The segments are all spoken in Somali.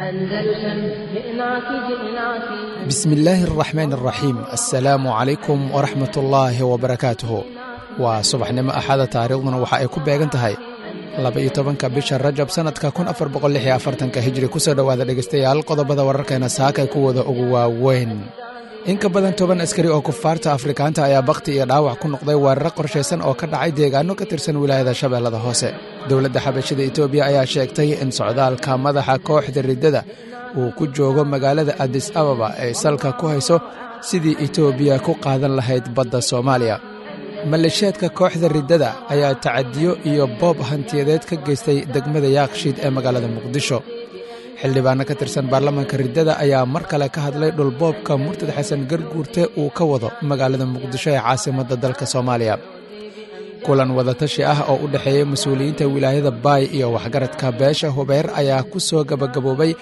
أندلسن جئناك جئناك. بسم الله الرحمن الرحيم، السلaamu calaykum waraxmat ullaahi wabarakaatuhu. Waa subaxnimo Axada, taariikhduna waxa ay ku beegan tahay 12-ka bisha Rajab, sannadka 1446-ka Hijri. Kusoo dhowaada, dhegaystayaal, qodobada wararkeena saakay kuwooda ugu waaweyn. In ka badan 10 askari oo kufaarta Afrikaanta ayaa bakhti iyo dhaawac ku noqday weeraro qorshaysan oo ka dhacay deegaano ka tirsan wilaayada Shabeellada Hoose. Dowladda Xabashida Etoobiya ayaa sheegtay in socdaalka madaxa kooxda riddada uu ku joogo magaalada Adis Ababa ay salka ku hayso sidii Etoobiya ku qaadan lahayd badda Soomaaliya. Maleeshiyaadka kooxda riddada ayaa tacadiyo iyo boob hantiyadeed ka geystay degmada Yaakshiid ee magaalada Muqdisho. Xildhibaano ka tirsan baarlamaanka riddada ayaa mar kale ka hadlay dhulboobka murtad Xasan Garguurte uu ka wado magaalada Muqdisho ee caasimadda dalka Soomaaliya. Kulan wadatashi ah oo u dhexeeyey mas-uuliyiinta wilaayada Baay iyo waxgaradka beesha Hubeer ayaa ku soo gabagaboobay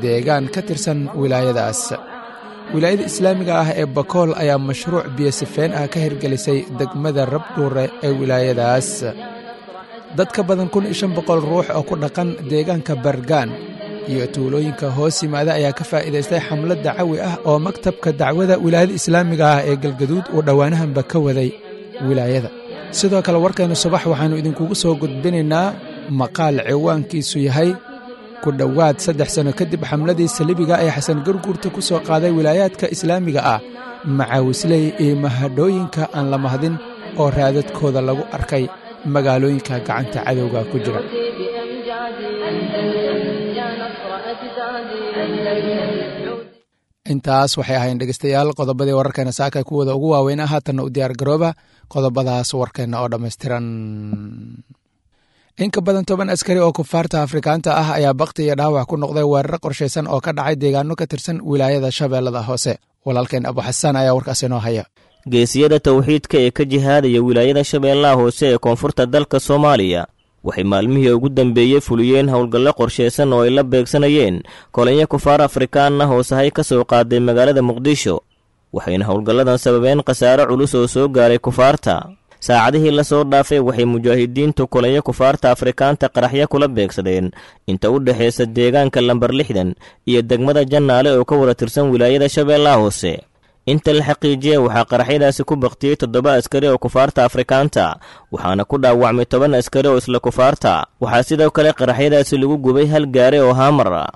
deegaan ka tirsan wilaayadaas. Wilaayada islaamiga ah ee Bakool ayaa mashruuc biyosifeen ah ka hirgelisay degmada Rabdhuure ee wilaayadaas. Dad ka badan 1500 ruux oo ku dhaqan deegaanka Bargaan iyo tuulooyinka hoos yimaada ayaa ka faa'iidaystay xamlad dacawi ah oo maktabka dacwada wilaayada islaamiga ah ee Galgaduud uu dhowaanahanba ka waday wilaayada. Sidoo kale, warkaynu subax waxaannu idinkugu soo gudbinaynaa maqaal ciwaankiisu yahay "Ku dhowaad 3 sano kadib xamladii salibiga ee Xasan Garguurta ku soo qaaday wilaayaadka islaamiga ah, macaawisley iyo mahadhooyinka aan la mahdin oo raadadkooda lagu arkay magaalooyinka gacanta cadowga ku jira". بأمجادي أندلسن يا نصر أجدادي أندلسن. Intaas waxay ahayn, dhegeystayaal, qodobadii wararkeena saaka kuwooda ugu waaweynaa. Haatanna u diyaar garooba qodobadaas warkeenna oo dhammaystiran. In ka badan 10 askari oo kufaarta Afrikaanta ah ayaa bakti iyo dhaawac ku noqday weeraro qorshaysan oo ka dhacay deegaano ka tirsan wilaayada Shabeellada Hoose. Walaalkeen Abu Xasaan ayaa warkaas inoo haya. Geesiyada towxiidka ee ka jihaadaya wilaayada Shabeellaha Hoose ee koonfurta dalka Soomaaliya waxay maalmihii ugu dambeeyey fuliyeen howlgallo qorshaysan oo ay la beegsanayeen kolonyo kufaar Afrikaan ah oo sahay ka soo qaaday magaalada Muqdisho, waxayna howlgalladan sababeen khasaare culus oo soo gaaray kufaarta. Saacadihii lasoo dhaafay waxay mujaahidiintu kolonyo kufaarta Afrikaanta qaraxyo kula beegsadeen inta u dhexaysa deegaanka lambar 60 iyo degmada Jannaale oo ka wada tirsan wilaayada Shabeellaha Hoose. Inta la xaqiijiyey, waxaa qaraxyadaasi ku baktiyey toddoba askari oo kufaarta Afrikaanta, waxaana ku dhaawacmay 10 askari oo isla kufaarta. Waxaa sidoo kale qaraxyadaasi lagu gubay hal gaari oo haamar ah.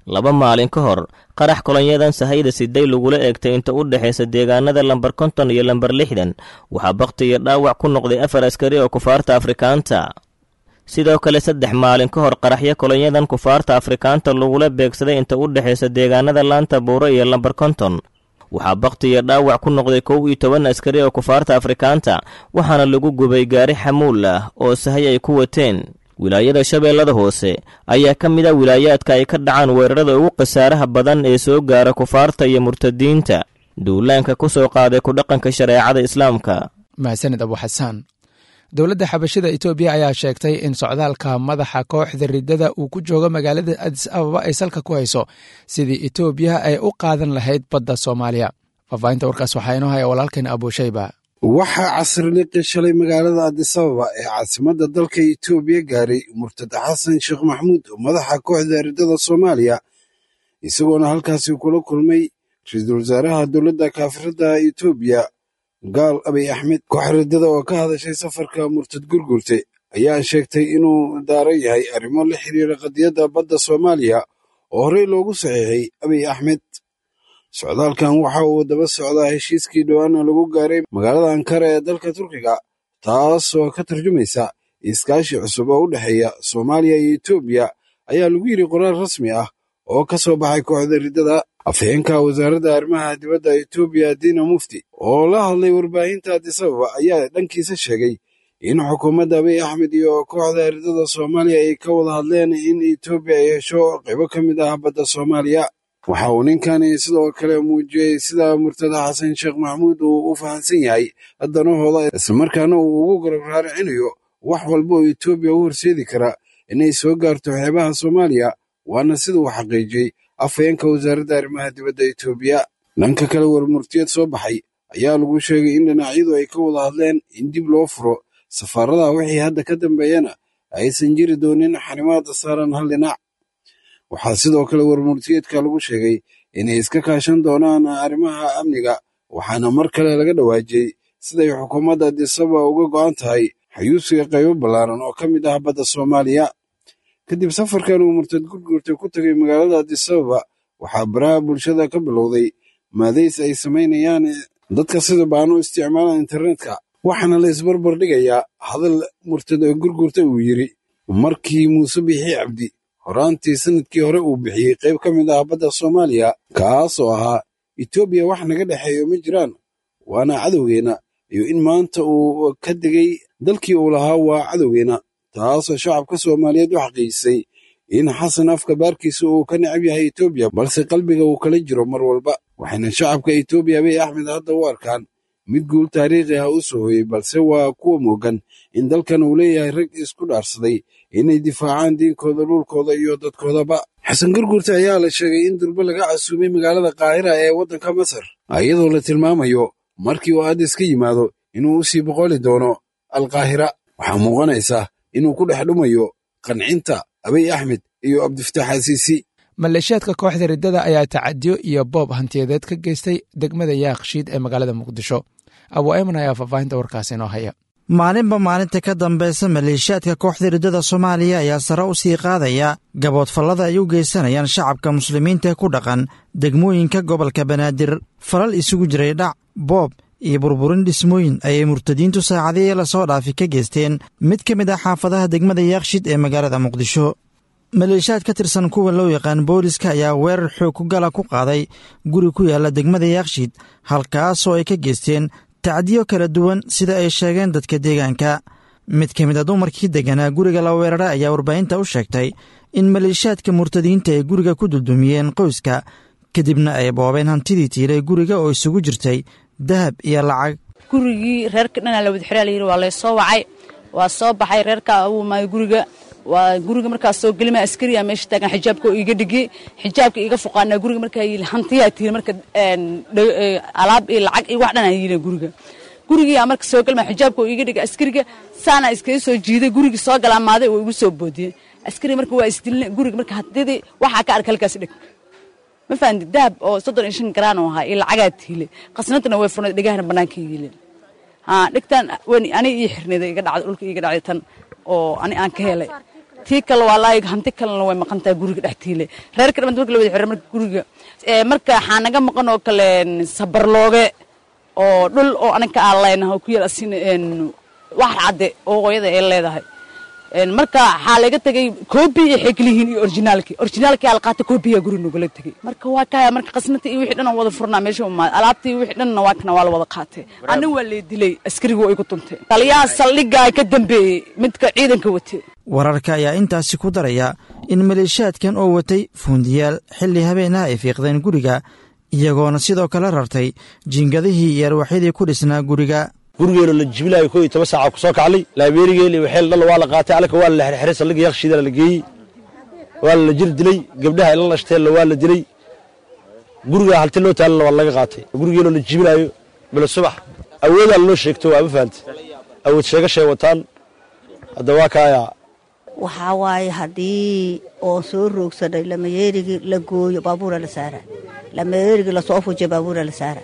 2 maalin ka hor, qarax kolonyadan sahayda siday lagula eegtay inta u dhexaysa deegaanada lambar 50 iyo lambar 60 waxaa bakti iyo dhaawac ku noqday afar askari oo kufaarta Afrikaanta. Sidoo kale, 3 maalin ka hor, qaraxyo kolonyadan kufaarta Afrikaanta lagula beegsaday inta u dhexaysa deegaanada Laanta Buuro iyo lambar 50 waxaa bakti iyo dhaawac ku noqday 11 askari oo kufaarta Afrikaanta, waxaana lagu gubay gaari xamuul ah oo sahay ay ku wateen. Wilaayada Shabeellada Hoose ayaa ka mid a wilaayaadka ay ka dhacaan weerarada ugu khasaaraha badan ee soo gaara kufaarta iyo murtadiinta duulaanka ku soo qaaday ku dhaqanka shareecada Islaamka. Mahadsanid, Abu Xasaan. Dowladda Xabashida Etoobiya ayaa sheegtay in socdaalka madaxa kooxda riddada uu ku joogo magaalada Adis Ababa ay salka ku hayso sidii Etoobiya ay u qaadan lahayd badda Soomaaliya. Faahfaahinta warkaas waxaa inoo haya walaalkeen Abuushayba. Waxaa casriliqii shalay magaalada Adisababa ee caasimadda dalka Itoobiya gaaray murtad Xasan Sheekh Maxamuud, madaxa kooxda riddada Soomaaliya, isagoona halkaasi kula kulmay ra-iisul wasaaraha dowladda kaafirada Itoobiya, gaal Abiy Axmed. Koox riddada oo ka hadashay safarka murtad Gurgurte ayaa sheegtay inuu daaran yahay arrimo la xiriira qadiyadda badda Soomaaliya oo horey loogu saxiixay Abiy Axmed. Socdaalkan waxa uu daba socdaa heshiiskii dhowaana lagu gaaray magaalada Ankara ee dalka Turkiga, taasoo ka tarjumaysa iskaashi cusub oo u dhexeeya Soomaaliya iyo Etoobiya, ayaa lagu yidhi qoraal rasmi ah oo ka soo baxay kooxda riddada. Afhayeenka wasaaradda arrimaha dibadda Etoobiya, Dina Mufti, oo la hadlay warbaahinta Adisababa, ayaa dhankiisa sheegay in xukuumadda Abiy Axmed iyo kooxda riddada Soomaaliya ay ka wada hadleen in Etoobiya ay hesho qaybo ka mid ah badda Soomaaliya. Waxa uu ninkani sidoo kale muujiyey sida murtada Xasan Sheekh Maxamuud uu u fahansan yahay danahooda, islamarkaana uu ugu garab raaricinayo wax walba oo Etoobiya u horseedi kara inay soo gaarto xeebaha Soomaaliya, waana sida uu xaqiijiyey afhayeenka wasaaradda arrimaha dibadda Etoobiya. Dhanka kale, warmurtiyeed soo baxay ayaa lagu sheegay in dhinacyadu ay ka wada hadleen in dib loo furo safaaradaha, wixii hadda ka dambeeyana aysan jiri doonin xanimaada saaran hal dhinac. Waxaa sidoo kale warmurtiyeedka lagu sheegay inay iska kaashan doonaan arrimaha amniga, waxaana mar kale laga dhawaajiyey siday xukuumadda Addis Ababa uga go'an tahay xayuusiga qaybo ballaaran oo ka mid ah badda Soomaaliya. Kadib safarkan uu murtad Gurgurta ku tegay magaalada Addis Ababa, waxaa baraha bulshada ka bilowday maadays ay samaynayaan dadka sida baan u isticmaalaan internetka, waxaana la isbarbar dhigayaa hadal murtad Gurgurta uu yidhi markii Muuse Biixi Cabdi horaantii sanadkii hore uu bixiyey qayb ka mid ah badda Soomaaliya, kaasoo ahaa Itoobiya wax naga dhexeeyo ma jiraan, waana cadowgeenna, iyo in maanta uu ka degay dalkii uu lahaa waa cadowgeenna, taasoo shacabka Soomaaliyeed u xaqiijisay in Xasan afka baarkiisa uu ka necab yahay Itoobiya, balse qalbiga uu kala jiro mar walba. Waxayna shacabka Itoobiya Abiy Axmed hadda u arkaan mid guul taariikhi ah u soo hooyey, balse waa kuwa moogan in dalkan uu leeyahay rag isku dhaarsaday inay difaacaan diinkooda, dhulkooda iyo dadkoodaba. Xasan Gurgurta ayaa la sheegay in durbo laga casuumay magaalada Qaahira ee waddanka Masar, iyadoo la tilmaamayo markii uu Addis ka yimaado inuu usii boqoli doono Alqaahira. Waxaa muuqanaysa inuu ku dhex dhumayo qancinta Abiy Axmed iyo Cabdifataax Asiisi. Maleeshiyaadka kooxda riddada ayaa tacadiyo iyo boob hantiyadeed ka geystay degmada Yaaqshiid ee magaalada Muqdisho. Abu Ayman ayaa faahfaahinta warkaasi inoo haya. Maalinba maalinta ka dambaysa maleeshiyaadka kooxda riddada Soomaaliya ayaa sare u sii qaadaya gaboodfallada ay u geysanayaan shacabka muslimiinta ku dhaqan degmooyinka gobolka Banaadir. Falal isugu jiray dhac, boob iyo burburin dhismooyin ayay murtadiintu saacadihii lasoo dhaafi ka geysteen mid ka mid ah xaafadaha degmada Yaaqshiid ee magaalada Muqdisho. Maleeshiyaad ka tirsan kuwa loo yaqaan booliska ayaa weerar xoog ku gala ku qaaday guri ku yaala degmada Yaaqshiid, halkaasoo ay ka geysteen tacdiyo kala duwan sida ay sheegeen dadka deegaanka. Mid ka mid a dumarkii degganaa guriga la weeraray ayaa warbaahinta u sheegtay in maleeshiyaadka murtadiinta ay guriga ku duldumiyeen qoyska, kadibna ay boobeen hantidii tiilay guriga oo isugu jirtay dahab iyo lacag. Gurigii reerka dhanaa la wada xiraa la yidhi, waa laysoo wacay, waa soo baxay reerka uu maay guriga. Waa guriga markaas soo gelima askariya meesha taagan, xijaabka oo iiga dhigay, xijaabka iiga fuqaanaa guriga. Markaa yili hantiyaa tiili, marka alaab iyo lacag iyo wax dhan aan yiilin guriga. Gurigii marka soo gelma xijaabka oo iiga dhigay askariga, saana iskaga soo jiiday gurigii, soo galaamaaday oo igu soo boodiyey askariga. Marka waa isdilnay guriga. Marka hantidii waxaa ka arka halkaas dhig, ma fahanti, dahab oo 35 garaan oo ahaa iyo lacagaa tiilay, qasnadana way furnayd, dhegahana bannaanka yiileen. Dhigtan ani ii xirnayda iga dhacday, dhulka iiga dhacday tan oo ani aan ka helay. Tii kale waa laayig, hanti kalena way maqan tahay guriga dhex tiilay reerka dhamant marka la wada xiray. Marka guriga marka waxaa naga maqan oo kale sabarlooge oo dhul oo aniga aan leenahay oo ku yaal asin wax cadde oo hooyada ay leedahay. Marka waxaa laga tegey koobi iyo xeglihiin iyo orijinaalkii, orijinaalkii ala qaatay, koobiyaa guri nagula tegey. Marka waa kaya, marka qasnata iyo wixii dhan aan wada furnaa meesha umaad, alaabtii wixii dhanna waa kana, waa la wada qaatay. Anna waa lay dilay, askarigu waa igu tuntay, taliyaha saldhiggaa ka dambeeyey midka ciidanka watay. Wararka ayaa intaasi ku daraya in maleeshiyaadkan oo watay fuundiyaal xilli habeenaha ay fiiqdeen guriga, iyagoona sidoo kale rartay jiingadihii iyo arwaxyadii ku dhisnaa guriga. Gurigeena la jibilaayo 11 saaca ku soo kaclay, laabeerigeeli waxeel dhal waa la qaatay, alka waa la xirxiray, saldhigga Yaaqshiida la geeyey, waa la jir dilay, gabdhaha ila lashteen waa la dilay, guriga halti loo taalana waa laga qaatay. Gurigeena la jibilaayo bila subax awoodaa loo sheegto, waa ma fahantay, awood sheegashay wataan. Hadda waa kaaya. Waxaa waaye haddii oo soo roogsanay lamayeerigii la gooyo baabuura la saara, lamayeerigii lasoo fujiyo baabuura la saara,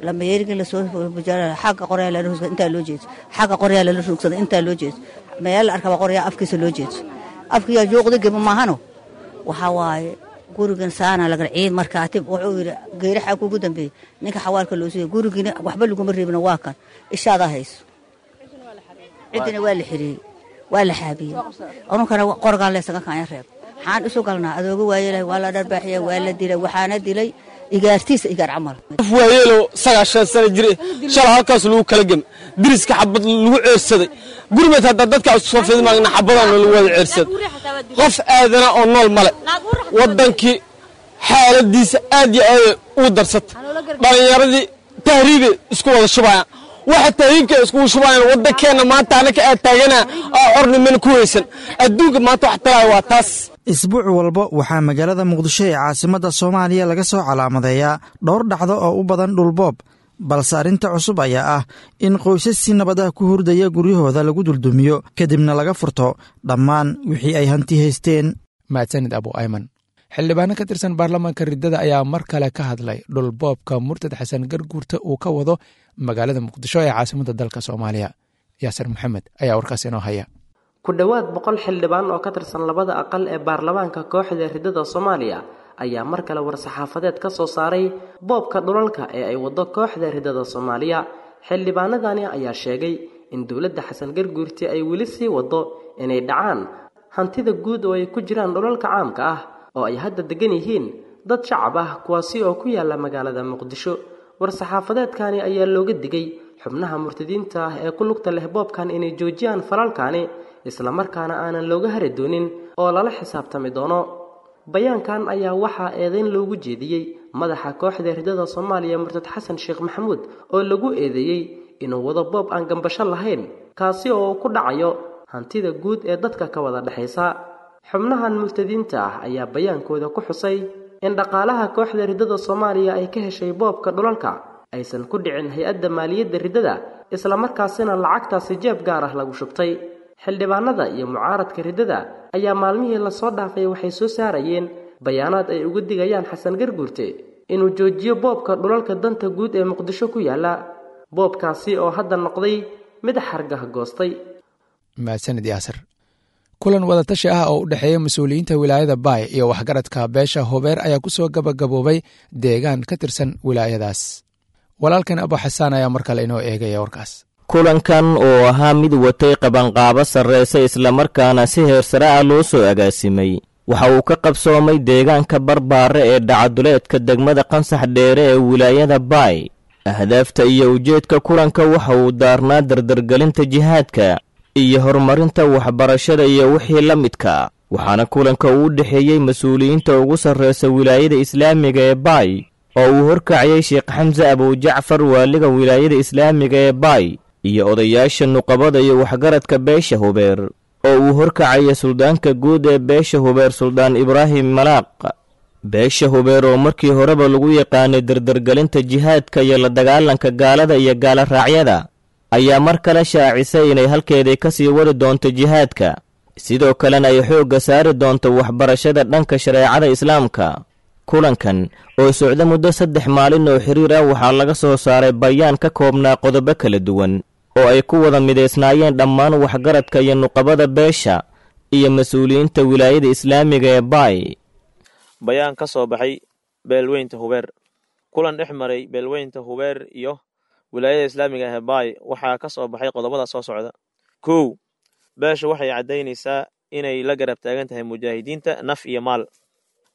lamayeerigii lasoo fujiyo xagga qoryaa lala roogsada intaa loo jeeso, xagga qoryaa lala roogsada intaa loo jeeso, meel la arkaba qoryaa afkiisa loo jeeso, afkiyaa juuqda geba maahano. Waxaa waaye gurigan saana lagal ciid markaatib wuxuu yidhi geeraxaa kugu dambeeyey ninka xawaalka loo siiyey, gurigiina waxba laguma reebina, waa kan ishaadaa hayso, ciddina waa la xirieyey, waa la xaabiyey, anunkana qorgaan leesaga kaanya reeb. Maxaan isu galnaa? Adooga waayeelahay, waa la dharbaaxiya, waa la dilay, waxaana dilay igaartiisa, igaar camal. Qof waayeelo 90 sano jire shala halkaas lagu kala gem, diriska xabad lagu ceersaday, gurmed hadda dadka soo fidmaagna xabadaan lagu wada ceersaday, qof aadana oo nool male. Waddankii xaaladiisa aad iyo aad ugu darsatay, dhallinyaradii tahriibay isku wada shubayaan, waxa tahriibka iskugu shubayaan waddankeenna maanta anaka aad taagana oo xornimana ku weysan adduunka maanta wax talaayo waa taas. Isbuuc walba waxaa magaalada Muqdisho ee caasimadda Soomaaliya laga soo calaamadeeyaa dhowr dhacdo oo u badan dhulboob, balse arrinta cusub ayaa ah in qoysas si nabad ah ku hurdaya guryahooda lagu duldumiyo, kadibna laga furto dhammaan wixii ay hanti haysteen. Mahadsanid Abu Ayman. Xildhibaano ka tirsan baarlamaanka riddada ayaa mar kale ka hadlay dhulboobka murtad Xasan Garguurta uu ka wado magaalada Muqdisho ee caasimadda dalka Soomaaliya. Yaasir Maxamed ayaa warkaas inoo haya. Ku dhowaad 100 xildhibaan oo ka tirsan labada aqal ee baarlamaanka kooxda riddada Soomaaliya ayaa mar kale war-saxaafadeed ka soo saaray boobka dhulalka ee ay wado kooxda riddada Soomaaliya. Xildhibaanadani ayaa sheegay in dowladda Xasan Garguurti ay weli sii wado inay dhacaan hantida guud oo ay ku jiraan dhulalka caamka ah oo ay hadda degan yihiin dad shacab ah, kuwaasi oo ku yaala magaalada Muqdisho. War-saxaafadeedkani ayaa looga digay xubnaha murtadiinta ah ee ku lugta leh boobkan inay joojiyaan falalkani, islamarkaana aanan looga hari doonin oo lala xisaabtami doono. Bayaankan ayaa waxaa eedeyn loogu jeediyey madaxa kooxda riddada Soomaaliya murtad Xasan Sheekh Maxamuud oo lagu eedeeyey inuu wado boob aan gambasho lahayn, kaasi oo ku dhacayo hantida guud ee dadka ka wada dhexaysa. Xubnahan murtadiinta ah ayaa bayaankooda ku xusay in dhaqaalaha kooxda riddada Soomaaliya ay ka heshay boobka dhulalka aysan ku dhicin hay-adda maaliyadda riddada, islamarkaasina lacagtaasi jeeb gaar ah lagu shubtay. Xildhibaanada iyo mucaaradka riddada ayaa maalmihii lasoo dhaafay waxay soo saarayeen bayaanaad ay uga digayaan Xasan Garguurte inuu joojiyo boobka dhulalka danta guud ee Muqdisho ku yaala, boobkaasi oo hadda noqday mid xargah goostay. Mahadsanid Yaasir. Kulan wadatashi ah oo u dhexeeya mas-uuliyiinta wilaayada Baay iyo waxgaradka beesha Hubeer ayaa ku soo gabagaboobay deegaan ka tirsan wilaayadaas. Walaalkan Abu Xasaan ayaa mar kale inoo eegaya warkaas. Kulankan oo ahaa mid watay qabanqaabo sarreysa islamarkaana si heersare ah loo soo agaasimay waxa uu ka qabsoomay deegaanka Barbaare ee dhacaduleedka degmada Qansax Dheere ee wilaayada Baay. Ahdaafta iyo ujeedka kulanka waxa uu daarnaa dardargelinta jihaadka iyo horumarinta waxbarashada iyo wixii la midka, waxaana kulanka uu u dhexeeyey mas-uuliyiinta ugu sarreysa wilaayada islaamiga ee Baay oo uu horkacayay Sheekh Xamse Abujacfar, waaliga wilaayada islaamiga ee Baay, iyo odayaasha nuqabada iyo waxgaradka beesha Hubeer oo uu horkacaya suldaanka guud ee beesha Hubeer, Suldaan Ibraahim Malaaq. Beesha Hubeer oo markii horeba lagu yaqaanay dardargelinta jihaadka iyo la dagaalanka gaalada iyo gaala raacyada ayaa mar kale shaacisay inay halkeedii ka sii wadi doonto jihaadka, sidoo kalena ay xoogga saari doonto waxbarashada dhanka shareecada islaamka. Kulankan oo socda muddo 3 maalin oo xiriir ah waxaa laga soo saaray bayaan ka koobnaa qodobo kala duwan oo ay ku wada midaysnaayeen dhammaan waxgaradka iyo nuqabada beesha iyo mas-uuliyiinta wilaayada islaamiga ee Baay. Bayaan ka soo baxay beelweynta Hubeer. Kulan dhex maray beelweynta Hubeer iyo wilaayada islaamiga ah ee Baay waxaa ka soo baxay qodobada soo socda. 1, beesha waxay caddaynaysaa inay la garab taagan tahay mujaahidiinta naf iyo maal.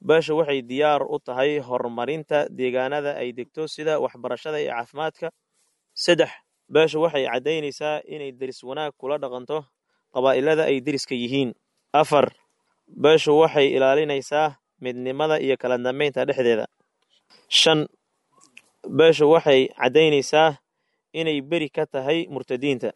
Beesha waxay diyaar u tahay horumarinta deegaanada ay degto sida waxbarashada iyo caafimaadka. 3, beesha waxay caddaynaysaa inay deris wanaag kula dhaqanto qabaa'ilada ay deriska yihiin. 4, beeshu waxay ilaalinaysaa midnimada iyo kala dambeynta dhexdeeda. 5, beeshu waxay caddaynaysaa inay beri ka tahay murtadiinta.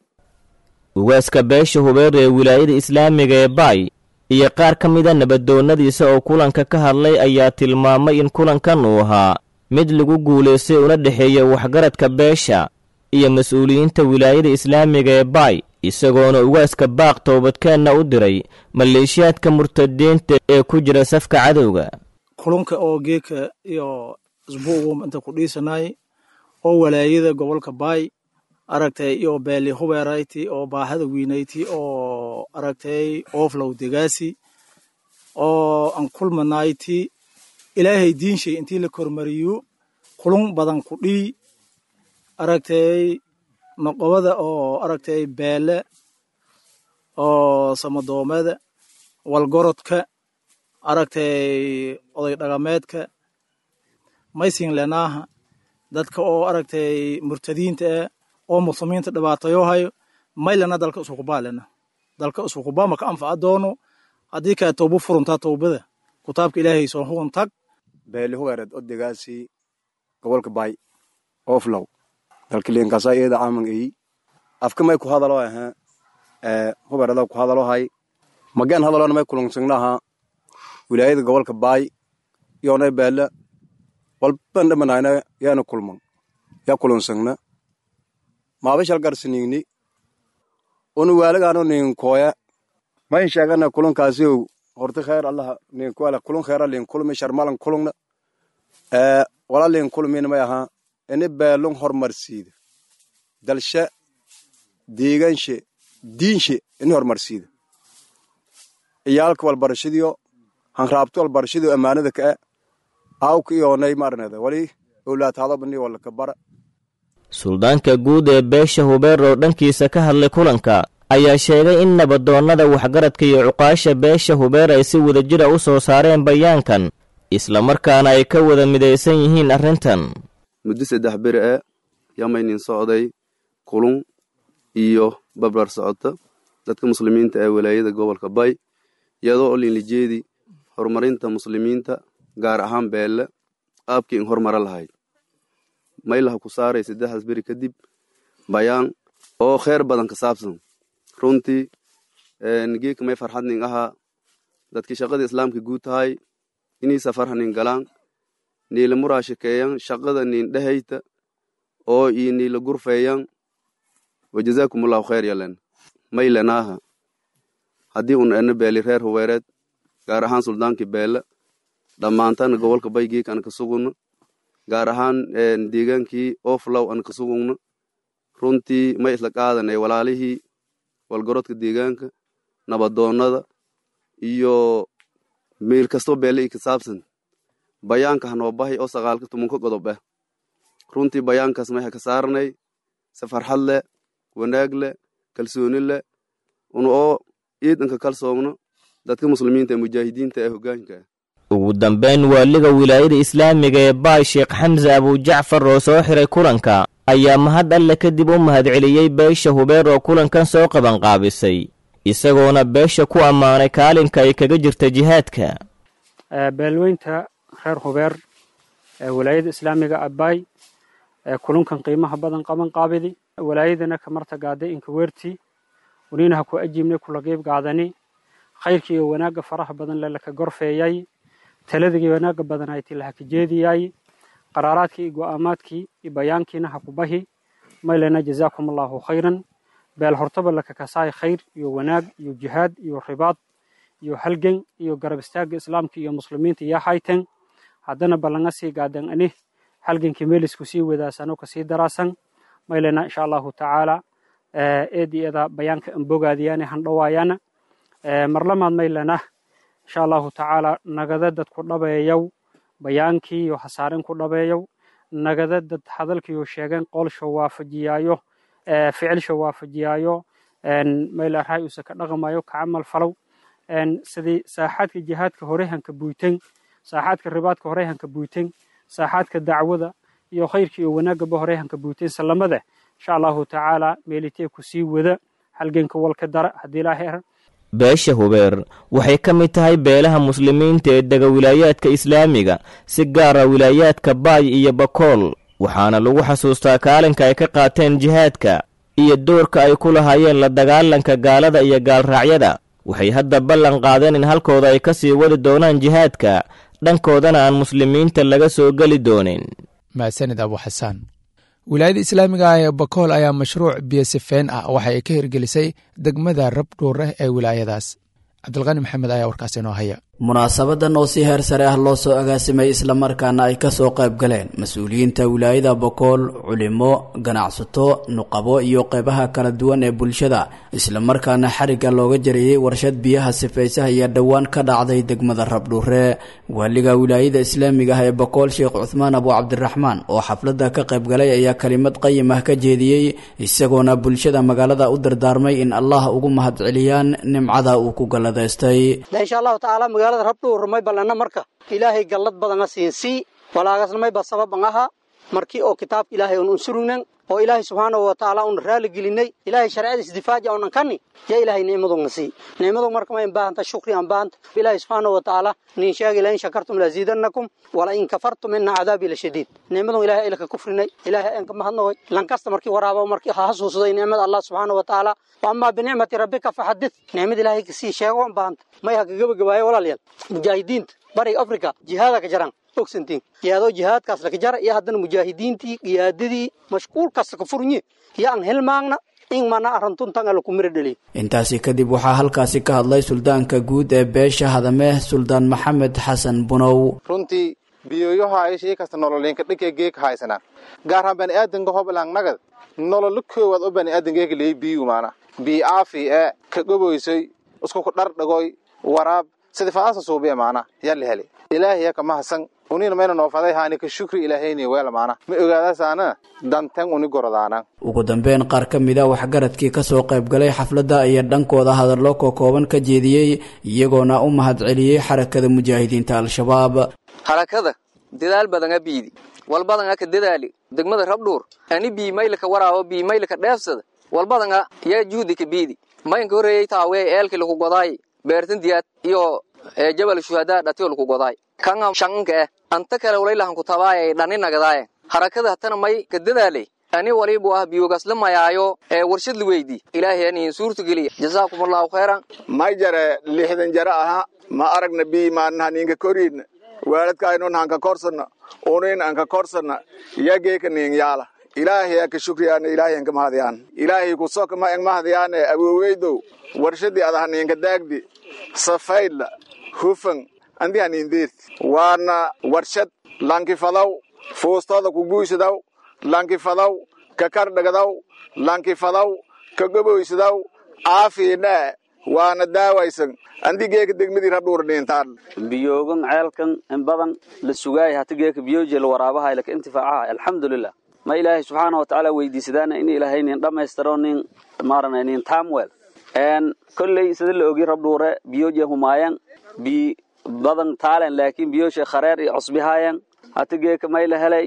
Ugaaska beesha Hubeer ee wilaayada islaamiga ee Baay iyo qaar ka mida nabadoonnadiisa oo kulanka ka hadlay ayaa tilmaamay in kulankan uu ahaa mid lagu guulaystay una dhexeeya waxgaradka beesha iyo mas-uuliyiinta wilaayada islaamiga ee Baay, isagoona ugaaska baaq toobadkeenna u diray maleeshiyaadka murtadiinta ee ku jira safka cadowga. Kulunka oo geeka iyo isbuugu inta ku dhiisanay oo walaayada gobolka Baay aragtay iyo beeli Hubeerayti oo baahada weynayti oo aragtay ooflow degaasi oo aan kulmanayti ilaahay diinshay intii la kormariyo kulun badan ku dhii aragtay noqobada oo aragtay beele oo samadoomada walgorodka aragtay oday dhaqameedka maysin lenaaha dadka oo aragtay murtadiinta ah oo muslimiinta dhibaatayo hayo maylana dalka isukubaalena dalka isukubaa maka anfaca doono haddii kaa toobo furuntaa toobada kutaabka ilaahay soo hugun tag. Beeli Hubeereed odegaasi gobolka Baay ooflow dalka liinkaasa iyada caaman eyi afka may ku hadalo ahaa ee Hubeerada ku hadalo hay magaan hadalona may kulunsignaha wilaayada gobolka Baay yoonay beele walban dhamanayna yaana kulman yaa kulunsigna maabashal garsinigni onu waalagaano ninkooya mayn sheegana kulunkaasiyow Horta khayr Allah nin kuala kulun khayr lin kulmi sharmalan kulungna wala lin kulmin may aha ini beelun hormarsiida dalsha deegaanshe diinshe ini hormarsiida iyaalka walbarashadiyo hanraabto walbarashadiyo ammaanada ka aawka iyoonay maarnada wali owlaadhadabani wala ka bara. Suldaanka guud ee beesha Hubeer oo dhankiisa ka hadlay kulanka ayaa sheegay in nabadoonnada waxgaradka iyo cuqaasha beesha Hubeer ay si wadajira u soo saareen bayaankan, islamarkaana ay ka wada midaysan yihiin arrintan. Muddo 3 beri ee yamaynin socday kulun iyo babrar socota dadka muslimiinta ee walaayada gobolka Bay, iyadoo oo linlijeedi horumarinta muslimiinta gaar ahaan beelle qaabkii in horumara lahayd maylaha ku saaray 3 beri kadib bayaan oo kheyr badan ka saabsan. Runtii geeka may farxadnin ahaa dadkii shaqada islaamka guud tahay inay safarhanin galaan niila muraashakeeyan shaqada nin dhehayta oo ii niila gurfeeyan wajazaakumullahu khayr yalen maylanaaha haddii un ena beeli reer Hubeereed gaar ahaan suldaankii beele dhammaantana gobolka Bay geeka an ka sugunno gaar ahaan deegaankii Oflow an ka sugugno. Runtii may isla qaadanay walaalihii walgorodka deegaanka nabadoonnada iyo meel kastoo beele i ka saabsan bayaanka hanoo bahay oo 9-10 qodob ah. Runtii bayaankaas may ha ka saarnay si farxad leh, wanaag leh, kalsooni leh, una oo ciidanka kalsoomno dadka muslimiinta ee mujaahidiinta ee hoggaanka. Ugu dambeyn, waaliga wilaayada islaamiga ee Baay Sheekh Xamse Abujacfar oo soo xiray kulanka ayaa mahad alle kadib u mahadceliyey beesha Hubeer oo kulankan soo qabanqaabisay, isagoona beesha ku ammaanay kaalinka ay kaga jirta jihaadka. Beelweynta reer Hubeer ee walaayada islaamiga Abbaay ee kulunkan qiimaha badan qaban qaabidi walaayadana ka martagaaday inka weerti unina ha ku ajiibnay kula qeyb qaadani khayrkii iyo wanaagga faraha badan lelaka gorfeeyay taladii wanaagga badan ay tilaha ka jeediyay qaraaraadkii iyo go'aamaadkii iyo bayaankiina ha ku bahi maylana jazaakum allahu khayran. Beel hortaba laka kasaay khayr iyo wanaag iyo jihaad iyo ribaad iyo halgan iyo garab istaagga islaamka iyo muslimiinta iyo haytan haddana ballanga sii gaadan ani halgankii meelisku sii wadaasano kasii daraasan maylana insha allahu tacaala eediyada bayaanka anbogaadiyaane handhawaayaana marlamaad maylana insha allahu tacaala nagada dad ku dhabeeyow bayaankii iyo hasaaren ku dhabeeyow nagada dad hadalkiiyo sheegeen qoolsho waafajiyaayo ficilsho waafajiyaayo mayla raay uusa ka dhaqmayo ka camal falow sidii saaxaadka jihaadka horehanka buyten saaxaadka ribaadka horehanka buyten saaxaadka dacwada iyo khayrka iyo wanaagaba horehanka buyten salamada insha allahu tacaala meelitee ku sii wada halganka walka dara haddii ilaahay ar. Beesha Hubeer waxay ka mid tahay beelaha muslimiinta ee dega wilaayaadka islaamiga, si gaara wilaayaadka Baay iyo Bakool, waxaana lagu xasuustaa kaalinka ay ka qaateen jihaadka iyo doorka ay ku lahaayeen la dagaalanka gaalada iyo gaalraacyada. Waxay hadda ballan qaadeen in halkooda ay ka sii wadi doonaan jihaadka, dhankoodana aan muslimiinta laga soo geli doonin. Mahadsanid Abu Xasaan. Wilaayada islaamiga ah ee Bakool ayaa mashruuc biyosifeen ah waxa ay ka hirgelisay degmada Rabdhuureh ee wilaayadaas. Cabdilqani Maxamed ayaa warkaas inoo haya. Munaasabadan oo si heer sare ah loo soo agaasimay islamarkaana ay kasoo qayb galeen mas-uuliyiinta wilaayada Bokool, culimo, ganacsato, nuqabo iyo qeybaha kala duwan ee bulshada, islamarkaana xarigga looga jariyey warshad biyaha sifaysaha iyo dhowaan ka dhacday degmada Rabdhuure. Waaliga wilaayada islaamiga ah ee Bokool Sheekh Cuthmaan Abu Cabdiraxmaan oo xafladda ka qayb galay ayaa kelimad qayim ah ka jeediyey, isagoona bulshada magaalada u dardaarmay in Allah ugu mahadceliyaan nimcada uu ku galladaystay. Rabdhuur may balana marka ilaahay gallad badana siinsii walaagasna mayba sababan aha markii oo kitaabka ilaahay un unsurugnan oo ilaahay subxaanahu wa tacaala un raali gelinay ilaahay sharciyadiis difaaja unan kani yaa ilaahay nicmaduna sii nicmadu marka ma baahanta shukri aan baahanta ilaahay subxaanahu wa tacaala nin sheegay la in shakartum la ziidannakum wala in kafartum inna cadaabi la shadiid nicmadu ilaahay ilka kufrinay ilaahay aan ka mahadnaqoy lan kasta markii waraabo markii ha xasuusday nicmada Allah subxaanahu wa tacaala wa amma bi nicmati rabbika fahaddith nicmada ilaahay ka sii sheego aan baahanta may ha gabagabaayo walaalyaal mujaahidiinta bariga Afrika jihaadka ka jaraan ogsantiin iyadoo jihaadkaas laga jara iyo haddana mujaahidiintii qiyaadadii mashquul kasta ka furnye iyo aan hilmaagna In mana arrintuntan ala ku mira dhaliy. Intaasi kadib waxaa halkaasi ka hadlay suldaanka guud ee beesha Hadame, Suldaan Maxamed Xasan Bunow. Runtii biyoyohaay shay kasta nololinka dhanka geek haysanaa, gaar ahaan baniaadanka hoblang nagad nololo koowaad oo baniaadanka leey biyu maana bii aafi ee ka goboysay isku ku dhardhagoy waraab sida faasa suubiya maana yaa la helay. Ilaahay ka mahadsan unina mayna noo faday haani ka shukri ilaahayni weel maana ma ogaadasaana dantan uni gordaana. Ugu dambeyn, qaar ka mid a waxgaradkii kasoo qaybgalay xafladda ayaa dhankooda hadallo kokooban ka jeediyey, iyagoona u mahadceliyey Xarakada Mujaahidiinta Al-Shabaab. Harakada dadaal badanga biidi walbadanga ka dadaali degmada Rabdhuur ani bii maylka waraabo bii maylka dheefsada walbadanga yaa juudi ka biidi maynka horeeyay taawee eelkii lagu godaay beertan diyaad iyo Jabal Shuhadaa dhatiyo lagu godaay kanga shanka anta kale walaylahan ku tabaayay dhani nagadaaye. Harakada hatana may ka dadaalay ani walibu ah biyogaas la mayaayo ee warshad la weydii. Ilaahay ani suurta geliya, jazaakumullahu khayran. May jare 60 jara aha ma aragna bii maanaha ninka koriidna waaladkaaynon hanka korsana unin anka korsana yageeka nin yaala. Ilaahay ka shukriyaana, ilaahay anka mahadiyaan, ilaahay ku soka ma ang mahadiyaane awooweydow warshadii adaha ninka daagdi safaydla hufan andi hanindeert waana warshad lankifadaw fuustada ku guysadaw lankifadaw ka kardhagadaw lankifadaw ka goboysadaw aafiina waana daawaysan andi geeka degmadii Rabdhuur dhintaan. Biyoogan ceelkan in badan la sugaay hata geeka biyoje la waraabaha laka intifaacaha, alxamdulilah. Ma ilaahay subxaana wa tacaala weydiisadaana in ilaahay nin dhammaystiro nin maaranay nin tamwell en kolley sida la ogi Rabdhuure biyoje humaayan bi badan taalen, laakiin biyoshe khareer iyo cusbihaayan. Hata geeka may la helay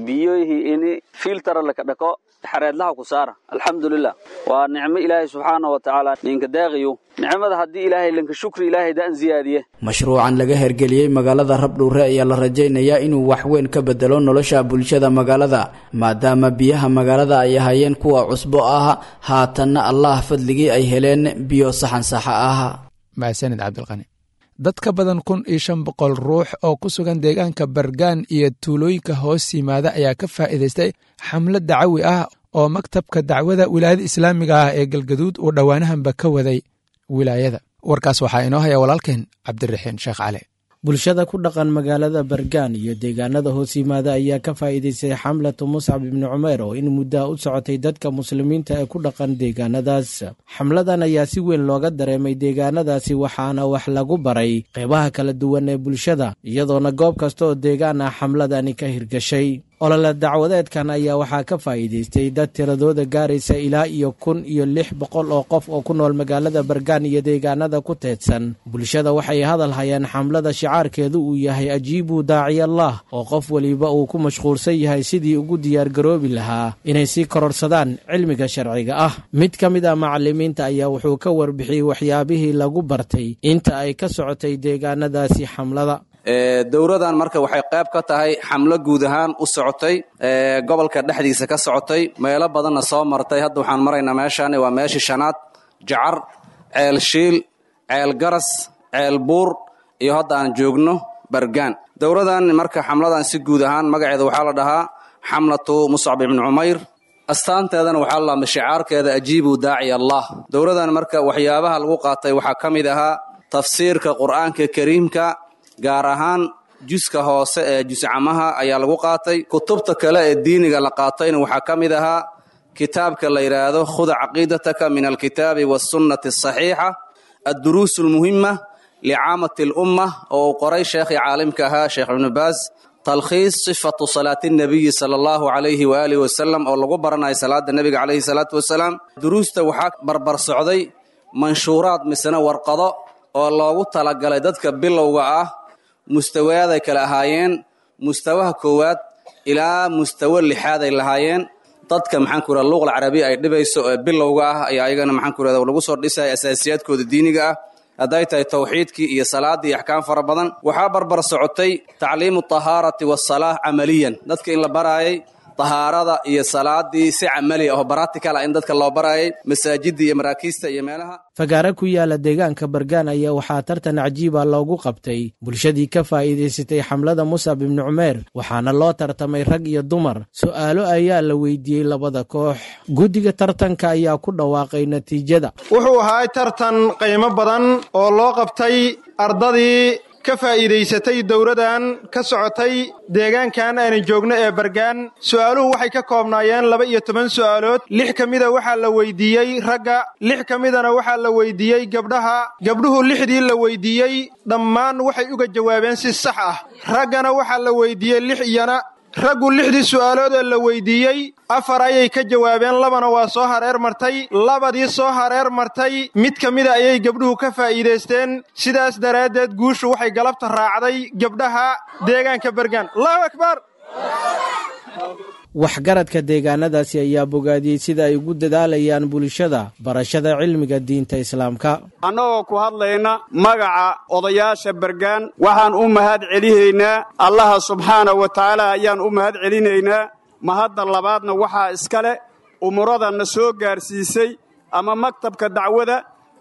biyohii ini filter laka dhako xareedlaha ku saara, alxamdulilah. Waa nicmo ilaahay subxaana wa tacaala ninka daaqiyo nicmada haddii ilaahay linka shukri ilaahay daan ziyaadiye. Mashruucan laga hergeliyey magaalada Rabdhuure ayaa la rajaynayaa inuu waxweyn ka bedelo nolosha bulshada magaalada, maadaama biyaha magaalada ay ahaayeen kuwa cusbo ah, haatanna Allah fadligii ay heleen biyo saxan saxa ah. Mahadsanid Cabdilqani. Dad ka badan 1500 ruux oo ku sugan deegaanka Bargaan iyo tuulooyinka hoos yimaada ayaa ka faa'iidaystay xamlad dacawi ah oo maktabka dacwada wilaayada islaamiga ah ee Galgaduud uu dhowaanahanba ka waday wilaayada. Warkaas waxaa inoo haya walaalkeen Cabdiraxiin Sheekh Cali. Bulshada ku dhaqan magaalada Bargaan iyo deegaanada hoos yimaada ayaa ka faa'iidaystay xamlatu Muscab ibni Cumeer oo in muddaha u socotay dadka muslimiinta ee ku dhaqan deegaanadaas. Xamladan ayaa si weyn looga dareemay deegaanadaasi, waxaana wax lagu baray qeybaha kala duwan ee bulshada, iyadoona goob kasta oo deegaan ah xamladani ka hirgashay. Olole dacwadeedkan ayaa waxaa ka faa'iidaystay dad tiradooda gaaraysa ilaa iyo 1600 oo qof oo ku nool magaalada Bargaan iyo deegaanada ku teedsan. Bulshada waxay hadal hayaan xamlada shicaarkeedu uu yahay ajiibuu daaciyallah, oo qof weliba uu ku mashquulsan yahay sidii ugu diyaargaroobi lahaa inay sii kororsadaan cilmiga sharciga ah. Mid ka mid ah macalimiinta ayaa wuxuu ka warbixiyey waxyaabihii lagu bartay inta ay ka socotay deegaanadaasi xamlada. Dowradan marka waxay qayb ka tahay xamlo guud ahaan u socotay gobolka dhexdiisa ka socotay, meelo badanna soo martay. Hadda waxaan maraynaa meeshaan waa meeshii shanaad: Jacar, Ceel Shiil, Ceel Garas, Ceel Buur iyo hadda aan joogno Bargaan. Dowradan marka xamladan si guud ahaan magaceeda waxaa la dhahaa xamlatu Muscab ibni Cumayr, astaanteedana waxaa la dhahaa shicaarkeeda ajiibuu daaci Allah. Dowradan marka waxyaabaha lagu qaatay waxaa ka mid ahaa tafsiirka Qur'aanka Kariimka, gaar ahaan juska hoose ee juscamaha ayaa lagu qaatay. Kutubta kale ee diiniga la qaatayna waxaa ka mid ahaa kitaabka la yidhaahdo khud caqiidataka min alkitaabi waasunnati asaxiixa, adduruus almuhima licaamati alumma oo uu qoray sheekhii caalimka ahaa Sheekh Ibnu Baas, talkhiis sifatu salaati nabiyi sala allahu calayhi waaalihi wasalam oo lagu baranayo salaada nebiga calayhi salaatu wasalaam. Duruusta waxaa barbar socday manshuuraad misena warqado oo loogu talagalay dadka bilowga ah, mustawaaday kala ahaayeen, mustawaha koowaad ilaa mustawo lixaad ay lahaayeen. Dadka maxaan ku rahda luuqal carabiya ay dhibayso ee bilowga ah ayaa ayagana maxaan ku rahda lagu soo dhisaya asaasiyaadkooda diiniga ah, hadday tahay tawxiidkii iyo salaaddii iyo axkaam fara badan. Waxaa barbar socotay tacliimu tahaarati waasalaah camaliyan, dadka in la baraayay tahaarada iyo salaadii si camali ah oo baratical ah in dadka loo barayay masaajidda iyo maraakiista iyo meelaha. Fagaare ku yaala deegaanka Bargaan ayaa waxaa tartan cajiiba loogu qabtay bulshadii ka faa'iidaysatay xamlada Musab ibni Cumeer, waxaana loo tartamay rag iyo dumar. Su'aalo ayaa la weydiiyey labada koox. Guddiga tartanka ayaa ku dhawaaqay natiijada. Wuxuu ahaa tartan qiimo badan oo loo qabtay ardadii ka faa'iidaysatay dowladan ka socotay deegaankan aynu joogno ee Bargaan. Su'aaluhu waxay ka koobnaayeen 12 su'aalood. 6 ka mida waxaa la weydiiyey ragga, 6 ka midana waxaa la weydiiyey gabdhaha. Gabdhuhu 6dii la weydiiyey dhammaan waxay uga jawaabeen si sax ah. Raggana waxaa la weydiiyey 6 iyana. Raggu 6dii su'aalood ee la weydiiyey 4 ayay ka jawaabeen, 2na waa soo hareer martay. 2dii soo hareer martay mid ka mida ayay gabdhuhu ka faa'iidaysteen. Sidaas daraaddeed guushu waxay galabta raacday gabdhaha deegaanka Bargaan. Allahu akbar! Waxgaradka deegaanadaasi ayaa bogaadiyey sida ay ugu dadaalayaan bulshada barashada cilmiga diinta Islaamka. Annagoo ku hadlayna magaca odayaasha Bargaan, waxaan u mahad celihaynaa Allaha subxaana wa tacaala ayaan u mahad celinaynaa. Mahadda labaadna waxaa iska leh umurada na soo gaarsiisay ama maktabka dacwada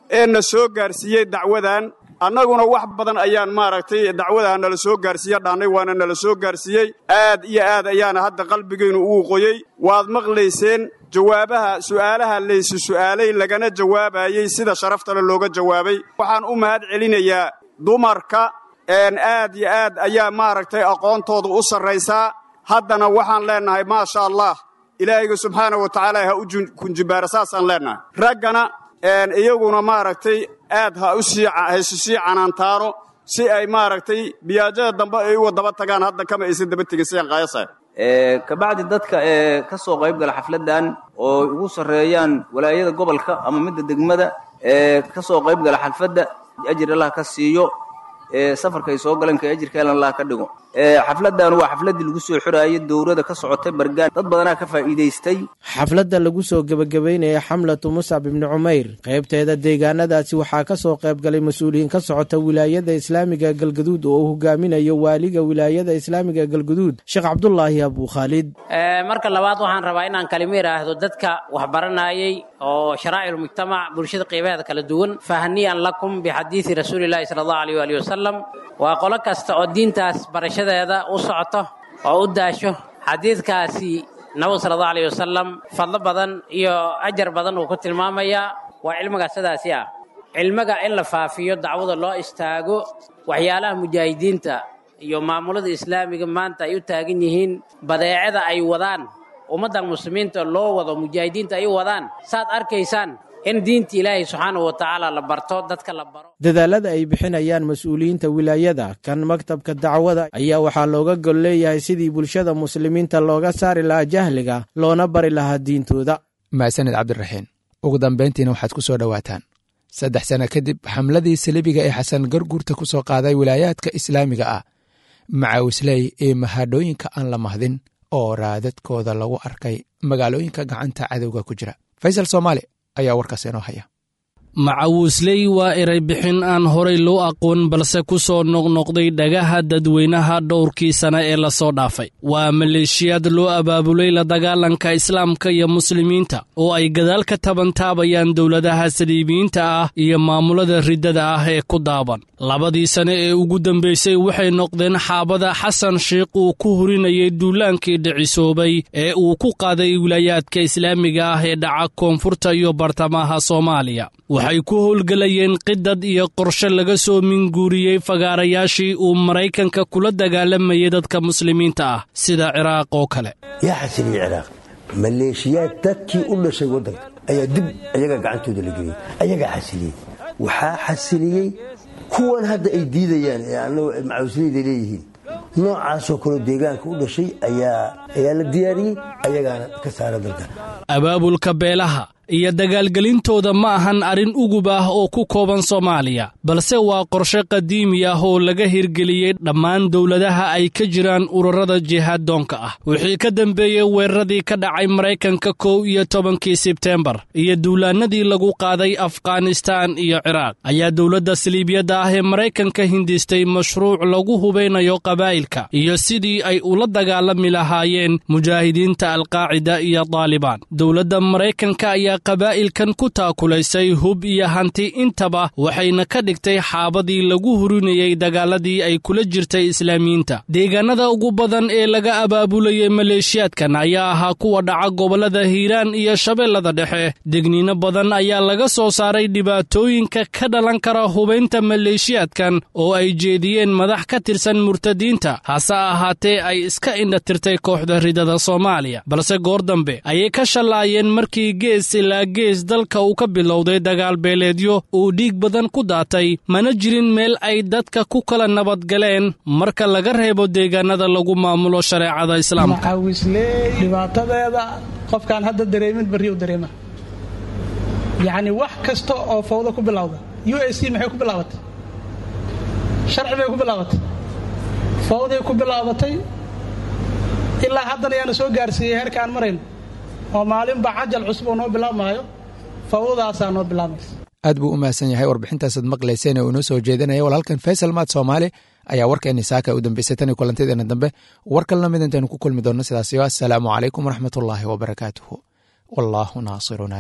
ee na soo gaarsiiyey dacwadan. Annaguna wax badan ayaan maaragtay dacwadaha nala soo gaarsiiya dhaannay, waana nala soo gaarsiiyey. Aad iyo aad ayaana hadda qalbigaynu ugu qoyey. Waad maqlayseen jawaabaha su'aalaha laysu su'aalay lagana jawaabayey sida sharaftale looga jawaabay. Waxaan u mahad celinayaa dumarka, aad iyo aad ayaa maaragtay aqoontooda u sarraysaa. Haddana waxaan leennahay maasha Allah, Ilaahayga subxaana wa tacaala ha u kunjibaara, saasaan leennahay. Raggana iyaguna maaragtay aad ha isu sii canaantaano si ay maaragtay biyaajada dambe ay uga daba tagaan. Hadda kama aysan daba tegin sidaan qaayasahay. Kabacdi dadka ee ka soo qayb gala xafladdan oo ugu sarreeyaan walaayada gobolka ama midda degmada ee ka soo qayb gala xalfadda, ajir Allah ka siiyo, ee safarka ay soo galeen ka ajirkeelan Allah ka dhigo. Xafladdan waa xafladdii lagu soo xiraayay dowladda ka socotay Bargaan. Dad badanaa ka faa'iidaystay. Xafladda lagu soo gebagabeynaya xamlatu Muscab ibni Cumayr qaybteeda deegaanadaasi waxaa ka soo qayb galay mas-uuliyiin ka socota wilaayada islaamiga Galgaduud oo uu hogaaminayo waaliga wilaayada islaamiga Galgaduud, Sheekh Cabdulaahi Abukhaalid. Marka labaad waxaan rabaa inaan kalimo idhaahdo dadka wax baranayay oo sharaa'ilmujtamac, bulshada qeybaheeda kala duwan. Fahniyan lakum bixadiidi rasuulilaahi sala allahu alayh waalihi wasalam. Waa qolo kasta oo diintaas barashadeeda u socoto oo u daasho xadiidkaasi nabigu sala allahu alayh wasalam fadlo badan iyo ajar badan uu ku tilmaamayaa. Waa cilmiga sidaasi ah, cilmiga in la faafiyo, dacwada loo istaago, waxyaalaha mujaahidiinta iyo maamulada islaamiga maanta ay u taagan yihiin, badeecada ay wadaan ummadda muslimiinta loo wado, mujaahidiinta ay u wadaan, saad arkaysaan in diinta Ilaahay subxaanahu wa tacaala la barto, dadka la baro. Dadaalada ay bixinayaan mas-uuliyiinta wilaayada kan maktabka dacwada ayaa waxaa looga gol leeyahay sidii bulshada muslimiinta looga saari lahaa jahliga loona bari lahaa diintooda. Mahadsanid Cabdiraxiin. Ugu dambayntiina waxaad ku soo dhowaataan 3 sano kadib xamladii salibiga ee Xasan Garguurta ku soo qaaday wilaayaadka islaamiga ah, macaawisley ee mahadhooyinka aan la mahdin oo raadadkooda lagu arkay magaalooyinka gacanta cadowga ku jira. Faysal Soomaali ayaa warkaas inoo haya. Macawisley waa eray bixin aan horay loo aqoon, balse ku soo noqnoqday dhagaha dadweynaha dhowrkii sane ee lasoo dhaafay. Waa maleeshiyaad loo abaabulay la dagaalanka islaamka iyo muslimiinta oo ay gadaal ka tabantaabayaan dowladaha saliibiyiinta ah iyo maamulada riddada ah ee ku daaban. 2dii sane ee ugu dambaysay waxay noqdeen xaabada Xasan Sheikh uu ku hurinayay duulaankii dhicisoobay ee uu ku qaaday wilaayaadka islaamiga ah ee dhaca koonfurta iyo bartamaha Soomaaliya. Waxay ku howlgelayeen qidad iyo qorshe laga soo minguuriyey fagaarayaashii uu Maraykanka kula dagaalamayay dadka muslimiinta ah sida Ciraaq oo kale. Yaa xasiliyey Ciraaq maleeshiyaad dadkii u dhashay waddanka ayaa dib ayagaa gacantooda la geliyey, ayagaa xasiliyey. Waxaa xasiliyey kuwan hadda ay diidayaan ee annagu macawisleyda leeyihiin, noocaasoo kaleo deegaanka u dhashay ayaa la diyaariyey, ayagaana ka saara dalka. Abaabulka beelaha Iyo dagaalgelintooda ma ahan arrin ugub ah oo ku kooban Soomaaliya, balse waa qorshe qadiimi ah oo laga hirgeliyey dhammaan dowladaha ay ka jiraan ururada jihaaddoonka ah. Wixii ka dambeeyey weeraradii ka dhacay Maraykanka 11-kii Sebteembar iyo duulaanadii lagu qaaday Afghanistaan iyo Ciraaq, ayaa dowladda saliibiyadda ah ee Maraykanka hindistay mashruuc lagu hubaynayo qabaa'ilka iyo sidii ay ula dagaalami lahaayeen mujaahidiinta Alqaacida iyo Daalibaan. Dowladda Maraykanka ayaa qabaa'ilkan ku taakulaysay hub iyo hanti intaba, waxayna ka dhigtay xaabadii lagu hurinayey dagaaladii ay kula jirtay Islaamiyiinta. Deegaanada ugu badan ee laga abaabulayay maleeshiyaadkan ayaa ahaa kuwa dhaca gobollada Hiiraan iyo Shabeellada Dhexe. Degniino badan ayaa laga soo saaray dhibaatooyinka ka dhalan kara hubaynta maleeshiyaadkan oo ay jeediyeen madax ka tirsan murtadiinta, hase ahaatee ay iska indhatirtay kooxda ridada Soomaaliya. Balse goor dambe ayay ka shallaayeen markii gees ilaa gees dalka uu ka bilowday dagaal beeleedyo uu dhiig badan ku daatay, mana jirin meel ay dadka ku kala nabadgaleen marka laga reebo deegaanada lagu maamulo shareecada Islaamka. Macawisley dhibaatadeeda qofkaan hadda dareemin barri u dareema. Yacni wax kasta oo fawdo ku bilowda, UAC maxay ku bilaabatay? Sharci bay ku bilaabatay, fawday ku bilaabatay. Ilaa haddana yaana soo gaarsiiyey heerka aan marayno oo maalinba cajal cusub oo noo bilaabmaayo, fawdadaasaa noo bilaabmaysa. Aad buu u mahadsan yahay warbixintaasaad maqlayseen ee uu inoo soo jeedinaya walaalkan Faysal Maad Soomaali ayaa warkeenni saaka u dambeysay. Tan iyo kulantadeena dambe war kalena mid intaynu ku kulmi doonno, sidaasiyo assalaamu calaykum waraxmatullaahi wabarakaatuhu, wallaahu naasiruna.